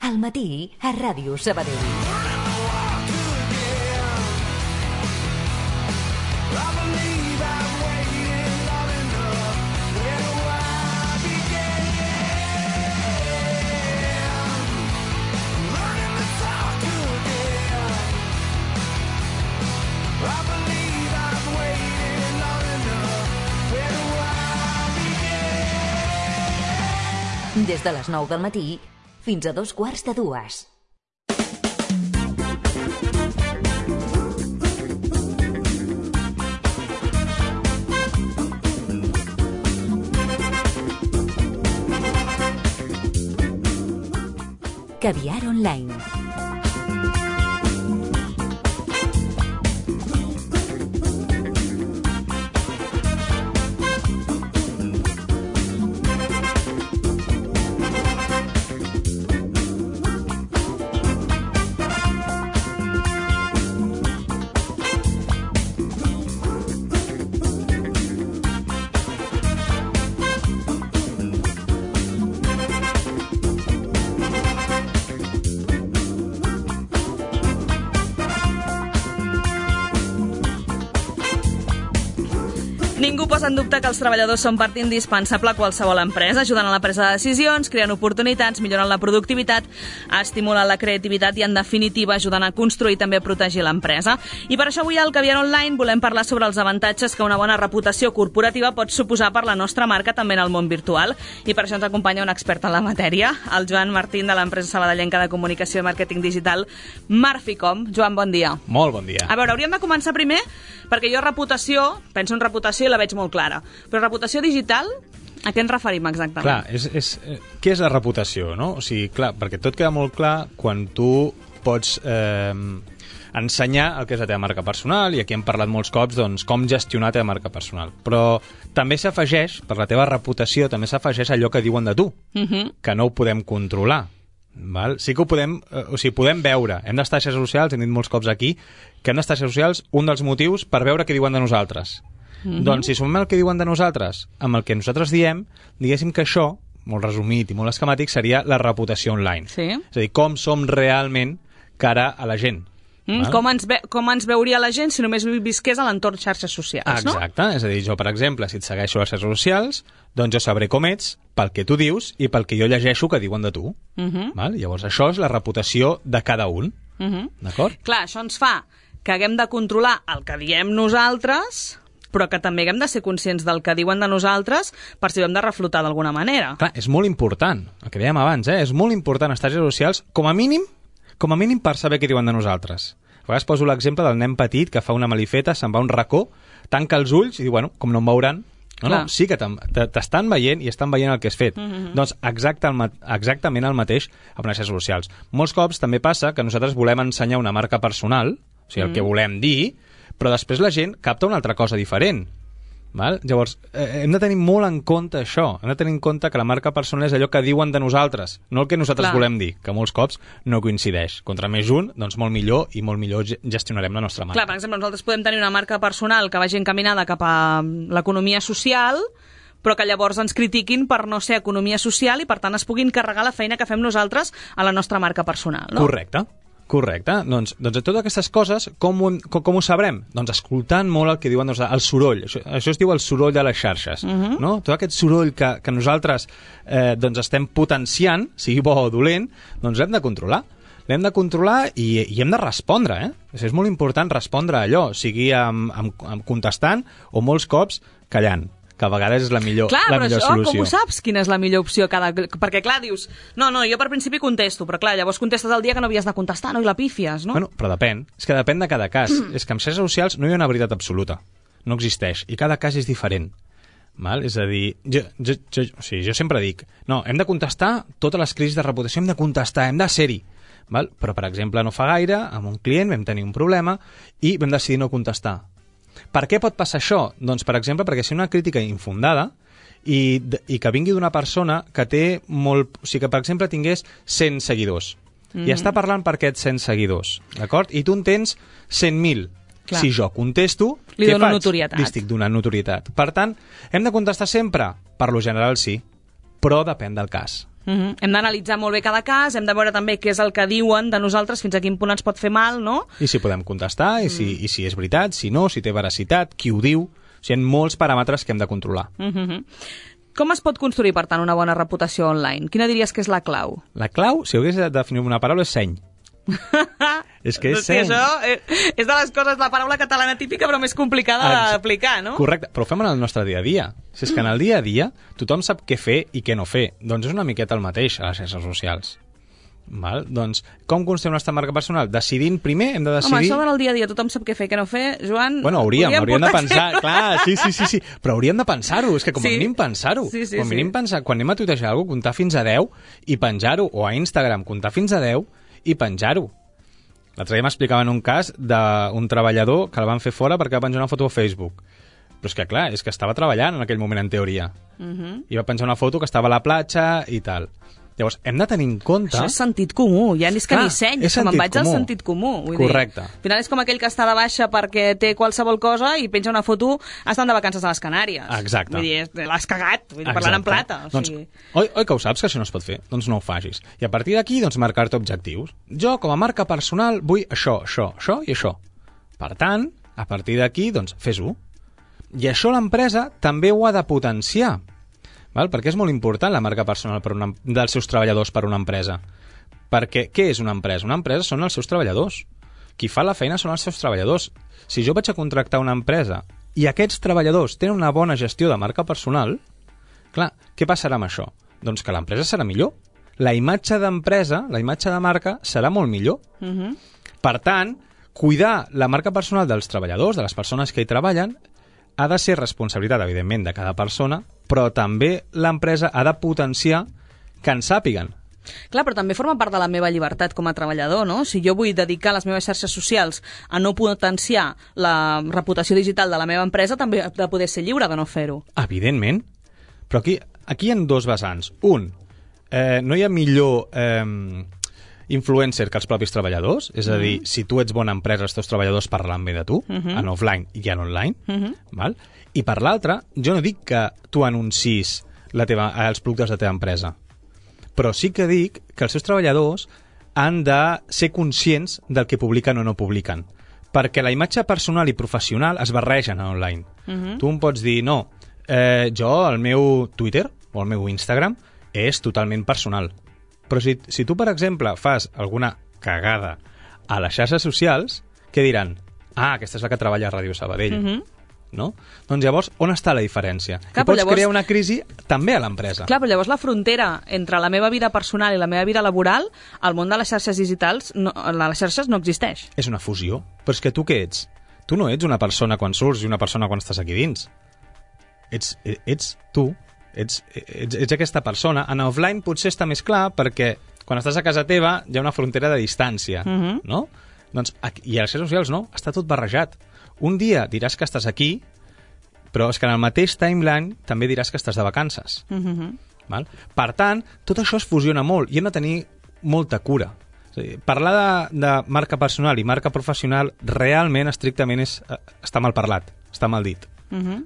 Al matí a Ràdio Sabadell. Des de les 9 del matí fins a 2:15. Caviar Online. Ningú posa en dubte que els treballadors són part indispensable a qualsevol empresa, ajudant a la presa de decisions, creant oportunitats, millorant la productivitat, estimulant la creativitat i, en definitiva, ajudant a construir i també a protegir l'empresa. I per això avui al Caviar Online volem parlar sobre els avantatges que una bona reputació corporativa pot suposar per la nostra marca també en el món virtual. I per això ens acompanya un expert en la matèria, el Joan Martín, de l'empresa sabadellenca de comunicació i màrqueting digital Marficom. Joan, bon dia. Molt bon dia. A veure, hauríem de començar primer perquè jo reputació, penso en reputació i la veig molt clara. Però reputació digital, a què ens referim exactament? Clar, què és la reputació, no? O sigui, clar, perquè tot queda molt clar quan tu pots ensenyar el que és la teva marca personal, i aquí hem parlat molts cops, doncs, com gestionar la teva marca personal. Però també s'afegeix, per la teva reputació, també s'afegeix allò que diuen de tu, que no ho podem controlar. Val? Sí que ho podem, podem veure, hem d'estar a xarxes socials, hem dit molts cops aquí, que hem d'estar a xarxes socials, un dels motius per veure què diuen de nosaltres. Doncs si sumem el que diuen de nosaltres amb el que nosaltres diem, diguéssim que això, molt resumit i molt esquemàtic, seria la reputació online. Sí. És a dir, com som realment cara a la gent. Com ens veuria la gent si només visqués a l'entorn xarxes socials, no? Exacte, és a dir, jo, per exemple, si et segueixo a les xarxes socials, doncs jo sabré com ets pel que tu dius i pel que jo llegeixo que diuen de tu. Val? Llavors, això és la reputació de cada un. D'acord? Clar, això ens fa que haguem de controlar el que diem nosaltres, però que també haguem de ser conscients del que diuen de nosaltres per si ho hem de reflotar d'alguna manera. Clar, és molt important, el que dèiem abans, és molt important estar a xarxes socials, com a mínim per saber què diuen de nosaltres. A vegades poso l'exemple del nen petit que fa una malifeta, se'n va a un racó, tanca els ulls i diu, bueno, com no em veuran, no, sí que t'estan veient i estan veient el que has fet. Doncs exactament el mateix amb les xarxes socials. Molts cops també passa que nosaltres volem ensenyar una marca personal, o sigui, el que volem dir, però després la gent capta una altra cosa diferent. Val? Llavors, hem de tenir molt en compte això. Hem de tenir en compte que la marca personal és allò que diuen de nosaltres, no el que nosaltres volem dir, que molts cops no coincideix. Contra més un, doncs molt millor, i molt millor gestionarem la nostra marca. Clar, per exemple, nosaltres podem tenir una marca personal que vagi encaminada cap a l'economia social, però que llavors ens critiquin per no ser economia social i, per tant, es puguin carregar la feina que fem nosaltres a la nostra marca personal, no? Correcte. Doncs a totes aquestes coses, com ho sabrem? Doncs escoltant molt el que diuen el soroll. Això es diu el soroll de les xarxes. No? Tot aquest soroll que nosaltres doncs estem potenciant, sigui bo o dolent, doncs l'hem de controlar. L'hem de controlar i hem de respondre. És molt important respondre a allò, sigui contestant o molts cops callant, que a vegades és la millor solució. Com ho saps, quina és la millor opció? Perquè, clar, dius, no, jo per principi contesto, però clar, llavors contestes el dia que no havies de contestar, no? I la pífies, no? Bueno, però depèn. És que depèn de cada cas. És que en xarxes socials no hi ha una veritat absoluta. No existeix. I cada cas és diferent. Val? És a dir, jo sempre dic, no, hem de contestar totes les crisis de reputació, hem de contestar, hem de ser-hi. Val? Però, per exemple, no fa gaire, amb un client vam tenir un problema i vam decidir no contestar. Per què pot passar això? Doncs, per exemple, perquè si una crítica infundada i que vingui d'una persona que té molt... O sigui, que, per exemple, tingués 100 seguidors i està parlant per aquests 100 seguidors, d'acord? I tu en tens 100.000. Si jo contesto, li dono notorietat. Li estic donant notorietat. Per tant, hem de contestar sempre? Per lo general, sí, però depèn del cas. Hem d'analitzar molt bé cada cas, hem de veure també què és el que diuen de nosaltres, fins a quin punt ens pot fer mal, no? I si podem contestar, i si és veritat, si no, si té veracitat, qui ho diu... O sigui, hi ha molts paràmetres que hem de controlar. Com es pot construir, per tant, una bona reputació online? Quina diries que és la clau? La clau, si hagués de definir una paraula, és seny. És que és seny. Això és de les coses, la paraula catalana típica, però més complicada d'aplicar, no? Correcte, però ho fem en el nostre dia a dia. Si és que en el dia a dia tothom sap què fer i què no fer, doncs és una miqueta el mateix a les xarxes socials. Val? Doncs, com construïm la nostra marca personal? Decidint primer, hem de decidir... Home, això del dia a dia, tothom sap què fer, què no fer, Joan... Bueno, hauríem de pensar, clar, sí, però hauríem de pensar-ho, és que com a mínim pensar-ho. Com a mínim pensar, quan anem a tuitejar alguna cosa, comptar fins a 10 i penjar-ho, o a Instagram, comptar fins a 10 i penjar-ho. L'altre dia m'explicaven un cas d'un treballador que el van fer fora perquè va penjar una foto a Facebook. Però és que, clar, és que estava treballant en aquell moment, en teoria. I va penjar una foto que estava a la platja i tal. Llavors, hem de tenir en compte... Això és sentit comú, ja és que ni seny, que me'n vaig al sentit comú. Correcte. Al final és com aquell que està de baixa perquè té qualsevol cosa i penja una foto estant de vacances a les Canàries. Exacte. Vull dir, l'has cagat, parlant en plata. Doncs, oi que ho saps, que això no es pot fer? Doncs no ho facis. I a partir d'aquí, doncs, marcar-te objectius. Jo, com a marca personal, vull això i això. Per tant, a partir d'aquí, doncs, fes-ho. I això l'empresa també ho ha de potenciar. Val? Perquè és molt important la marca personal dels seus treballadors per una empresa. Perquè què és una empresa? Una empresa són els seus treballadors. Qui fa la feina són els seus treballadors. Si jo vaig a contractar una empresa i aquests treballadors tenen una bona gestió de marca personal, clar, què passarà amb això? Doncs que l'empresa serà millor. La imatge d'empresa, la imatge de marca, serà molt millor. Per tant, cuidar la marca personal dels treballadors, de les persones que hi treballen, ha de ser responsabilitat, evidentment, de cada persona, però també l'empresa ha de potenciar que en sàpiguen. Clar, però també forma part de la meva llibertat com a treballador, no? Si jo vull dedicar les meves xarxes socials a no potenciar la reputació digital de la meva empresa, també he de poder ser lliure de no fer-ho. Evidentment. Però aquí hi ha dos vessants. Un, no hi ha millor influencer que els propis treballadors, és a dir, si tu ets bona empresa, els teus treballadors parlant bé de tu, en offline i en online, val? I per l'altre, jo no dic que tu anuncis els productes de la teva empresa, però sí que dic que els seus treballadors han de ser conscients del que publiquen o no publiquen, perquè la imatge personal i professional es barregen en online. Tu em pots dir, no, jo, el meu Twitter o el meu Instagram és totalment personal. Però si tu, per exemple, fas alguna cagada a les xarxes socials, què diran? Ah, aquesta és la que treballa a Ràdio Sabadell. No? Doncs llavors, on està la diferència? Clar, I pots crear una crisi també a l'empresa. Clar, però llavors la frontera entre la meva vida personal i la meva vida laboral, al món de les xarxes digitals, les xarxes no existeix. És una fusió. Però és que tu què ets? Tu no ets una persona quan surts i una persona quan estàs aquí dins. Ets tu. Ets aquesta persona. En offline potser està més clar perquè quan estàs a casa teva hi ha una frontera de distància, no? Doncs, i a les xarxes socials no, està tot barrejat. Un dia diràs que estàs aquí, però és que en el mateix timeline també diràs que estàs de vacances. Val? Per tant, tot això es fusiona molt i hem de tenir molta cura. És a dir, parlar de marca personal i marca professional realment, estrictament, està mal parlat, està mal dit.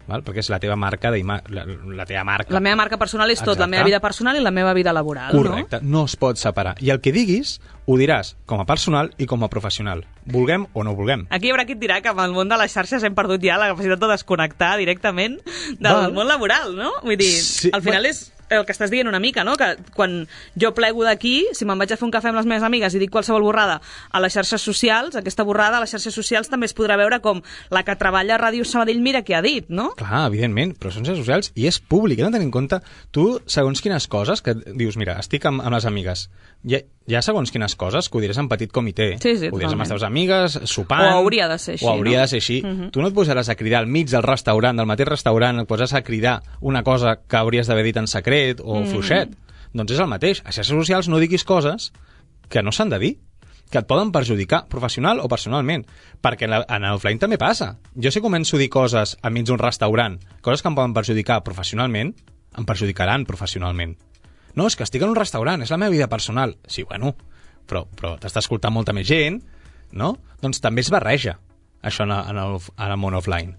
Val? Perquè és la teva marca, la teva marca. La meva marca personal és tot, exacte. La meva vida personal i la meva vida laboral. Correcte, no es pot separar. I el que diguis, ho diràs com a personal i com a professional. Vulguem o no vulguem. Aquí hi haurà qui et dirà que amb el món de les xarxes hem perdut ja la capacitat de desconnectar directament del món laboral, no? Vull dir, sí, al final és el que estàs dient una mica, no? Que quan jo plego d'aquí, si me'n vaig a fer un cafè amb les meves amigues i dic qualsevol borrada a les xarxes socials, aquesta borrada a les xarxes socials també es podrà veure com la que treballa a Ràdio Sabadell mira què ha dit, no? Clar, evidentment, però són xarxes socials i és públic, hem de tenir en compte tu, segons quines coses, que dius, mira, estic amb les amigues, hi ha segons quines coses que ho diràs en petit comitè, ho diràs amb les teves amigues, sopant... O hauria de ser així, o hauria de ser així. Tu no et posaràs a cridar al mig del restaurant, del mateix restaurant, et posaràs a cridar una cosa que hauries d'haver dit en secret o fluixet. Doncs és el mateix. A xarxes socials no diguis coses que no s'han de dir, que et poden perjudicar professional o personalment, perquè en l'offline també passa. Jo si començo a dir coses enmig d'un restaurant, coses que em poden perjudicar professionalment, em perjudicaran professionalment. No, és que estic en un restaurant, és la meva vida personal. Sí, bueno, però t'està escoltant molta més gent, no? Doncs també es barreja, això en el món offline.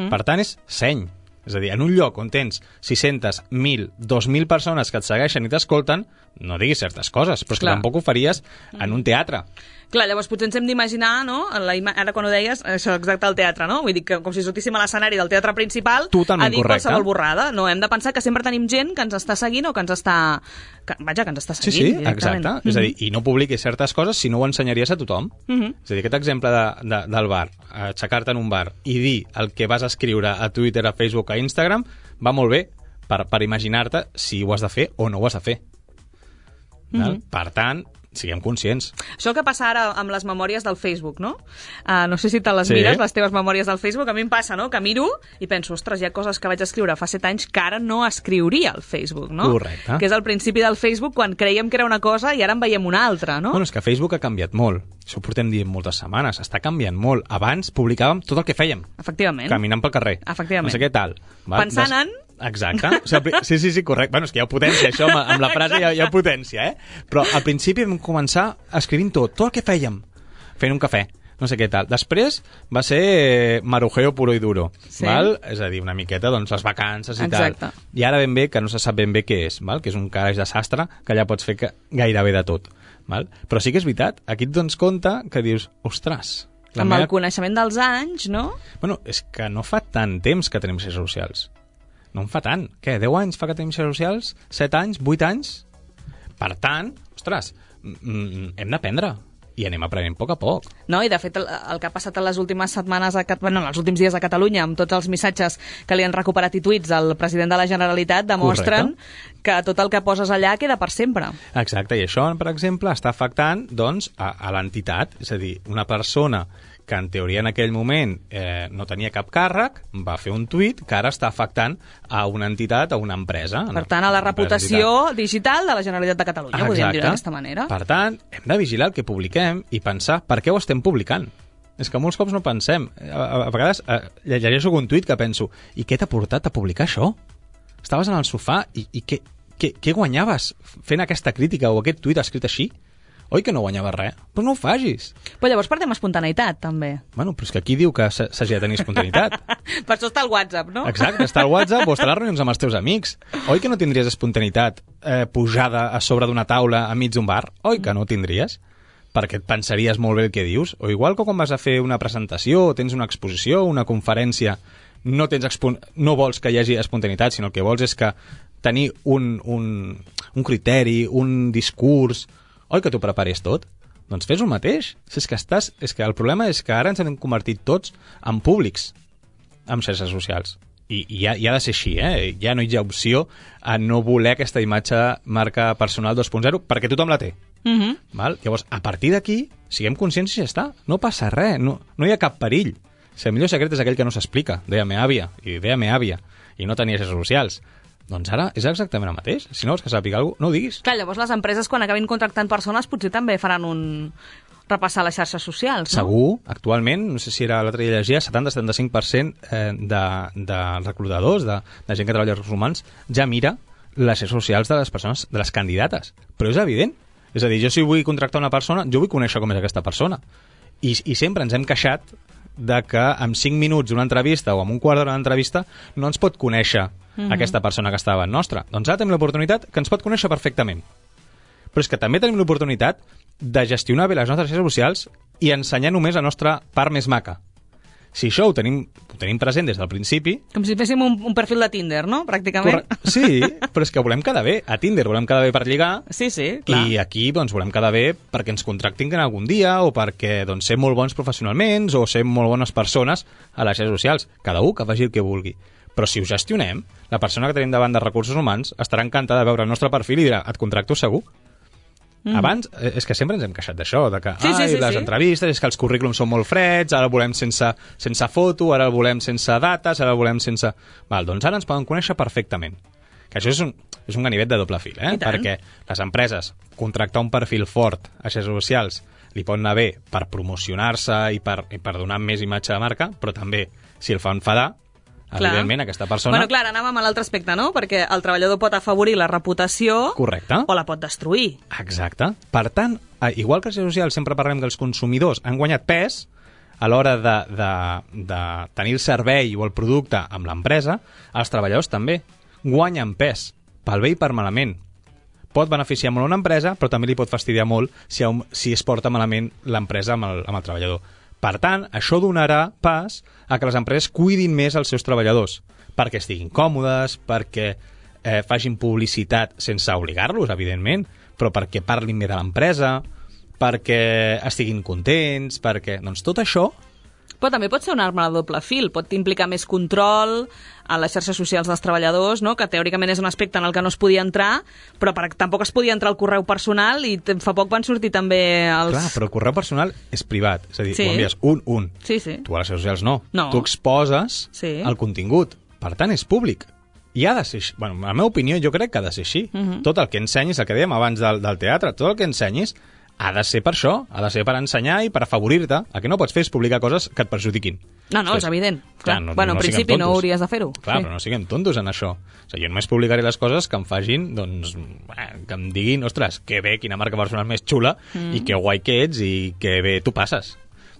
Per tant, és seny. És a dir, en un lloc on tens 600, 1.000, 2.000 persones que et segueixen i t'escolten, no diguis certes coses, però és que tampoc ho faries en un teatre. Clar, llavors potser ens hem d'imaginar, no? Ara quan ho deies, això exacte al teatre, no? Vull dir que com si sortíssim a l'escenari del teatre principal totalment a dir correcte. Qualsevol borrada. No, hem de pensar que sempre tenim gent que ens està seguint o que ens està... Vaja, que ens està seguint Sí, directament. exacte. És a dir, i no publiquis certes coses si no ho ensenyaries a tothom. És a dir, aquest exemple del bar, aixecar-te en un bar i dir el que vas escriure a Twitter, a Facebook, a Instagram, va molt bé per imaginar-te si ho has de fer o no ho has de fer. Per tant, siguem conscients. Això el que passa ara amb les memòries del Facebook, no? No sé si te les mires, les teves memòries del Facebook. A mi em passa, no?, que miro i penso, ostres, hi ha coses que vaig escriure fa 7 anys que ara no escriuria al Facebook, no? Correcte. Que és el principi del Facebook quan creiem que era una cosa i ara en veiem una altra, no? Bueno, és que Facebook ha canviat molt. Això ho portem dient moltes setmanes. Està canviant molt. Abans publicàvem tot el que fèiem. Efectivament. Caminant pel carrer. Efectivament. No sé què tal. Pensant en... Exacte. O sigui, sí, correcte. Bueno, és que hi ha potència, això, amb la frase hi ha potència, Però al principi vam començar escrivint tot el que fèiem, fent un cafè, no sé què tal. Després va ser marujeo puro i duro, val? És a dir, una miqueta, doncs, les vacances i tal. I ara ben bé, que no se sap ben bé què és, val? Que és un calaix de sastre, que allà pots fer gairebé de tot. Val? Però sí que és veritat, aquí et dones compte que dius, ostres... Amb el coneixement dels anys, no? Bueno, és que no fa tant temps que tenim xarxes socials. No en fa tant. Què, 10 anys fa que tenim xarxes socials? 7 anys? 8 anys? Per tant, ostres, hem d'aprendre. I anem aprenent a poc a poc. No, i de fet el que ha passat en les últimes setmanes, els últims dies a Catalunya, amb tots els missatges que li han recuperat i tuits al president de la Generalitat, demostren que tot el que poses allà queda per sempre. Exacte, i això, per exemple, està afectant doncs, a l'entitat. És a dir, una persona que en teoria en aquell moment no tenia cap càrrec, va fer un tuit que ara està afectant a una entitat, a una empresa. Per tant, a la reputació digital de la Generalitat de Catalunya, podríem dir d'aquesta manera. Per tant, hem de vigilar el que publiquem i pensar per què ho estem publicant. És que molts cops no pensem. A vegades llegeixo un tuit que penso, i què t'ha portat a publicar això? Estaves en el sofà i què guanyaves fent aquesta crítica o aquest tuit escrit així? Oi que no guanyava res? Però no ho facis. Però llavors perdem espontaneïtat, també. Bueno, però és que aquí diu que s'hagi de tenir espontaneïtat. Per això està el WhatsApp, no? Exacte, està el WhatsApp o està a les reunions amb els teus amics. Oi que no tindries espontaneïtat pujada a sobre d'una taula enmig d'un bar? Oi que no ho tindries? Perquè et pensaries molt bé el que dius. O igual que quan vas a fer una presentació, o tens una exposició, una conferència, no vols que hi hagi espontaneïtat, sinó el que vols és que tenir un criteri, un discurs... Oi que t'ho prepares tot? Doncs fes el mateix. És que el problema és que ara ens hem convertit tots en públics amb xarxes socials. I ha de ser així, Ja no hi ha opció a no voler aquesta imatge marca personal 2.0 perquè tothom la té. Val? Llavors, a partir d'aquí, siguem conscients i ja està. No passa res, no hi ha cap perill. El millor secret és aquell que no s'explica, deia me àvia, i no tenia xarxes socials. Doncs ara és exactament el mateix. Si no vols que sàpiga alguna cosa, no ho diguis. Clar, llavors les empreses, quan acabin contractant persones, potser també faran repassar les xarxes socials, no? Segur. Actualment, no sé si era l'altre dia llegia, 70-75% de reclutadors, de gent que treballa als recursos humans, ja mira les xarxes socials de les persones, de les candidates. Però és evident. És a dir, jo si vull contractar una persona, jo vull conèixer com és aquesta persona. I sempre ens hem queixat de que en 5 minuts d'una entrevista o en un quart d'hora d'una entrevista no ens pot conèixer aquesta persona que està davant nostra. Doncs ara tenim l'oportunitat que ens pot conèixer perfectament. Però és que també tenim l'oportunitat de gestionar bé les nostres xarxes socials i ensenyar només la nostra part més maca. Si això ho tenim present des del principi... Com si féssim un perfil de Tinder, no? Pràcticament. Sí, però és que volem quedar bé. A Tinder volem quedar bé per lligar. Sí, clar. I aquí doncs, volem quedar bé perquè ens contractin algun dia o perquè doncs, ser molt bons professionalment o ser molt bones persones a les xarxes socials. Cada un que faci el que vulgui. Però si ho gestionem, la persona que tenim davant de recursos humans estarà encantada de veure el nostre perfil i dirà, et contracto segur. Abans, és que sempre ens hem queixat d'això, de que les entrevistes, és que els currículums són molt freds, ara el volem sense foto, ara el volem sense dates, ara el volem sense... Doncs ara ens poden conèixer perfectament. Que això és un ganivet de doble fil, perquè les empreses, contractar un perfil fort a xarxes socials li pot anar bé per promocionar-se i per donar més imatge de marca, però també, si el fa enfadar, evidentment, aquesta persona... Bueno, clar, anàvem a l'altre aspecte, no? Perquè el treballador pot afavorir la reputació... Correcte. O la pot destruir. Exacte. Per tant, igual que les xarxes socials sempre parlem que els consumidors han guanyat pes, a l'hora de tenir el servei o el producte amb l'empresa, els treballadors també guanyen pes, pel bé i per malament. Pot beneficiar molt una empresa, però també li pot fastidiar molt si es porta malament l'empresa amb el treballador. Per tant, això donarà pas a que les empreses cuidin més els seus treballadors, perquè estiguin còmodes, perquè facin publicitat sense obligar-los, evidentment, però perquè parlin bé de l'empresa, perquè estiguin contents, perquè... Doncs tot això... Però també pot ser una arma de doble fil, pot implicar més control a les xarxes socials dels treballadors, no? Que teòricament és un aspecte en el que no es podia entrar, però tampoc es podia entrar al correu personal i fa poc van sortir també els... Clar, però el correu personal és privat, és a dir, Sí. ho envies un. Sí, sí. Tu a les xarxes socials no. No. Tu exposes Sí. el contingut, per tant és públic. I ha de ser així. Bueno, en la meva opinió jo crec que ha de ser així. Tot el que ensenyis, el que dèiem abans del teatre, tot el que ensenyis ha de ser per això, ha de ser per ensenyar i per afavorir-te. El que no pots fer és publicar coses que et perjudiquin. No, és evident. Clar. no En principi siguem no tontos. hauries de fer-ho. Clar, Sí. però no siguem tontos en això. O sigui, jo només publicaré les coses que em facin, doncs, que em diguin, ostres, que bé, quina marca personal més xula, i que guai que ets, i que bé tu passes.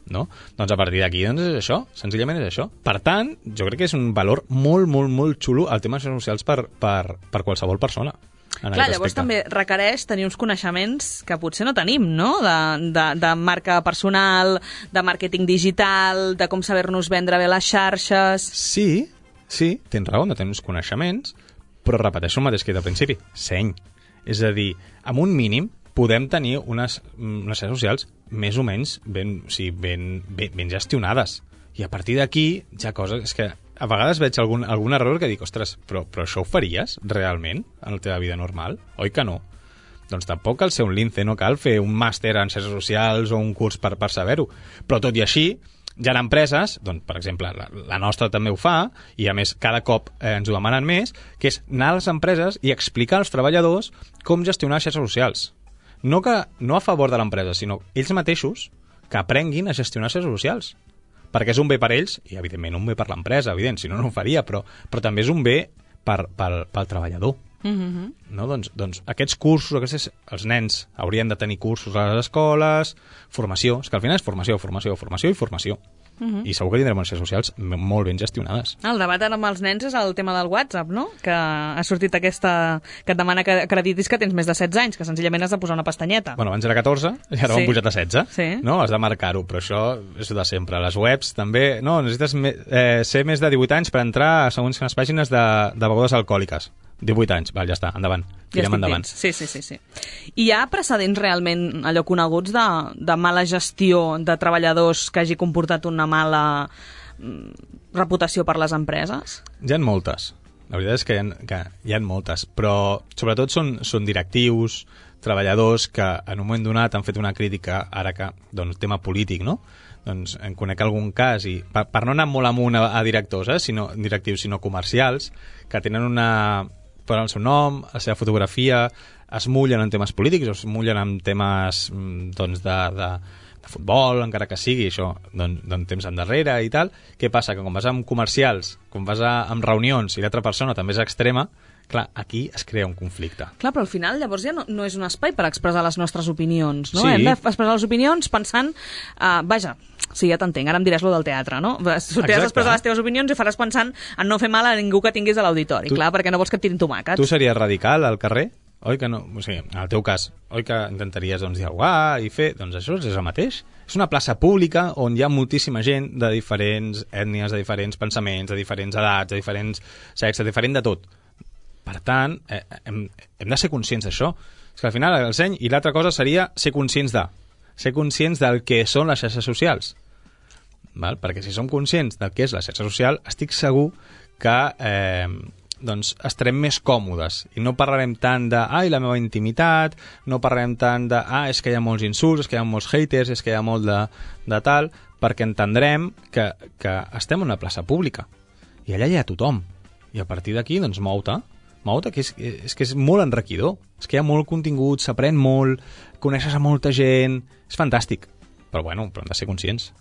No? Doncs a partir d'aquí doncs és això, senzillament és això. Per tant, jo crec que és un valor molt, molt, molt xulo el tema de xarxes socials per qualsevol persona. Clar, llavors també requereix tenir uns coneixements que potser no tenim, no? De marca personal, de màrqueting digital, de com saber-nos vendre bé les xarxes... Sí, tens raó, no tens uns coneixements, però repeteixo el mateix que he dit al principi, seny. És a dir, amb un mínim podem tenir unes xarxes socials més o menys ben gestionades. I a partir d'aquí hi ha coses... És que a vegades veig algun error que dic, ostres, però això ho faries realment en la teva vida normal? Oi que no? Doncs tampoc cal ser un lince, no cal fer un màster en xarxes socials o un curs per saber-ho. Però tot i així, hi ha empreses, doncs, per exemple, la nostra també ho fa, i a més cada cop ens ho demanen més, que és anar a les empreses i explicar als treballadors com gestionar xarxes socials. No a favor de l'empresa, sinó ells mateixos que aprenguin a gestionar xarxes socials. Perquè és un bé per ells, i evidentment un bé per l'empresa, evident, si no, no ho faria, però també és un bé pel treballador. No? Doncs aquests cursos, els nens haurien de tenir cursos a les escoles, formació, és que al final és formació i formació. I segur que tindrem unes xarxes socials molt ben gestionades. El debat ara amb els nens és el tema del WhatsApp, no? Que ha sortit que et demana que acreditis que tens més de 16 anys, que senzillament has de posar una pestanyeta. Bueno, abans era 14 i ara ho han pujat a 16. Sí. No? Has de marcar-ho, però això és de sempre. Les webs també... No, necessites ser més de 18 anys per entrar a segons quines pàgines de begudes alcohòliques. 18 anys, val, ja està, endavant. Tirem endavant. Sí. I hi ha precedents realment allò coneguts de mala gestió de treballadors que hagi comportat una mala reputació per les empreses? Hi ha moltes. La veritat és que hi ha moltes, però sobretot són directius, treballadors que en un moment donat han fet una crítica, ara que, doncs, tema polític, no? Doncs en conec algun cas, i per no anar molt amunt a directors, directius, sinó comercials, que tenen posen el seu nom, la seva fotografia, es mullen en temes polítics, es mullen en temes doncs, de futbol, encara que sigui això, doncs temps endarrere i tal. Què passa? Que quan vas amb comercials, quan vas amb reunions i l'altra persona també és extrema, clar, aquí es crea un conflicte. Clar, però al final llavors ja no és un espai per expressar les nostres opinions, no? Sí. Hem d'expressar les opinions pensant... sí, ja t'entenc, ara em diràs lo del teatre, no? Sortiràs a expressar les teves opinions i faràs pensant en no fer mal a ningú que tinguis a l'auditori, clar, perquè no vols que et tirin tomàquets. Tu series radical al carrer? Oi que no? O sigui, en el teu cas, oi que intentaries dialogar i fer... Doncs això és el mateix. És una plaça pública on hi ha moltíssima gent de diferents ètnies, de diferents pensaments, de diferents edats, de diferents sexes, de diferent de tot. Per tant, hem de ser conscients d'això. És que al final el seny, i l'altra cosa seria ser conscients del que són les xarxes socials. Val? Perquè si som conscients del que és la xarxa social, estic segur que doncs estarem més còmodes i no parlarem tant de la meva intimitat, no parlarem tant de és que hi ha molts insults, és que hi ha molts haters, és que hi ha molt de tal, perquè entendrem que estem en una plaça pública i allà hi ha tothom. I a partir d'aquí, doncs, mou-te, que és molt enriquidor. És que hi ha molt contingut, s'aprèn molt, coneixes a molta gent, és fantàstic. Però hem de ser conscients.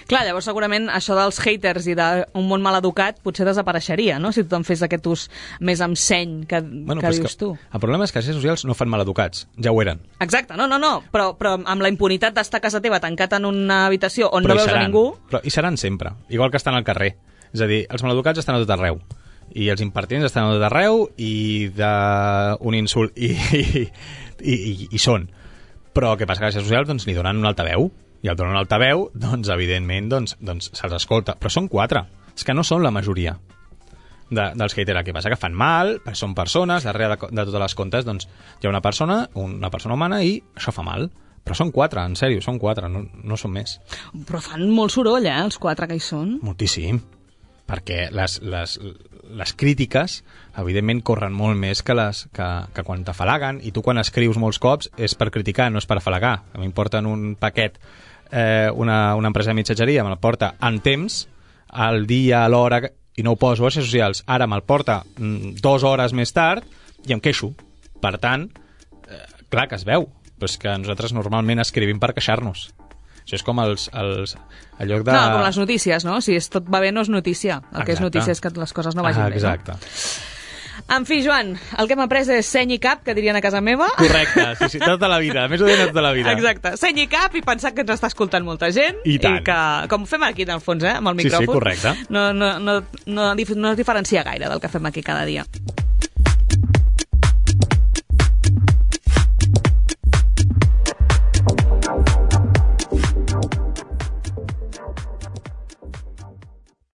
Clar, llavors segurament això dels haters i d'un món mal educat potser desapareixeria, no?, si tothom fes aquest ús més amb seny que dius tu. El problema és que les xarxes socials no fan mal educats, ja ho eren. Exacte, no, però amb la impunitat d'estar a casa teva tancat en una habitació on no veus a ningú... Però hi seran sempre, igual que estan al carrer. És a dir, els maleducats estan a tot arreu. I els impertinents estan a tot arreu i d'un insult i són. Però què passa? Que les xarxes socials doncs, li donen un altaveu. I al donar un altaveu, doncs, evidentment, se'ls escolta. Però són 4. És que no són la majoria dels haters. El que passa que fan mal, són persones, darrere de totes les comptes doncs, hi ha una persona humana i això fa mal. Però són 4, en sèrio, són 4, no són més. Però fan molt soroll, els 4 que hi són. Moltíssim. Perquè les crítiques, evidentment, corren molt més que quan t'afalaguen, i tu quan escrius molts cops és per criticar, no és per afalagar. A mi em porten un paquet, una empresa de missatgeria me'l porta en temps, al dia, a l'hora, i no ho poso a les xarxes socials. Ara me'l porta 2 hores més tard i em queixo. Per tant, clar que es veu, però és que nosaltres normalment escrivim per queixar-nos. Això és com el lloc de... No, com les notícies, no? Si tot va bé no és notícia. El que és notícia és que les coses no vagin bé. Exacte. En fi, Joan, el que hem après és seny i cap, que dirien a casa meva. Correcte, sí, tota la vida. Més o menys tota la vida. Exacte, seny i cap i pensar que ens està escoltant molta gent. I tant. I que, com fem aquí, en el fons, amb el micròfon. Sí, correcte. No es diferencia gaire del que fem aquí cada dia.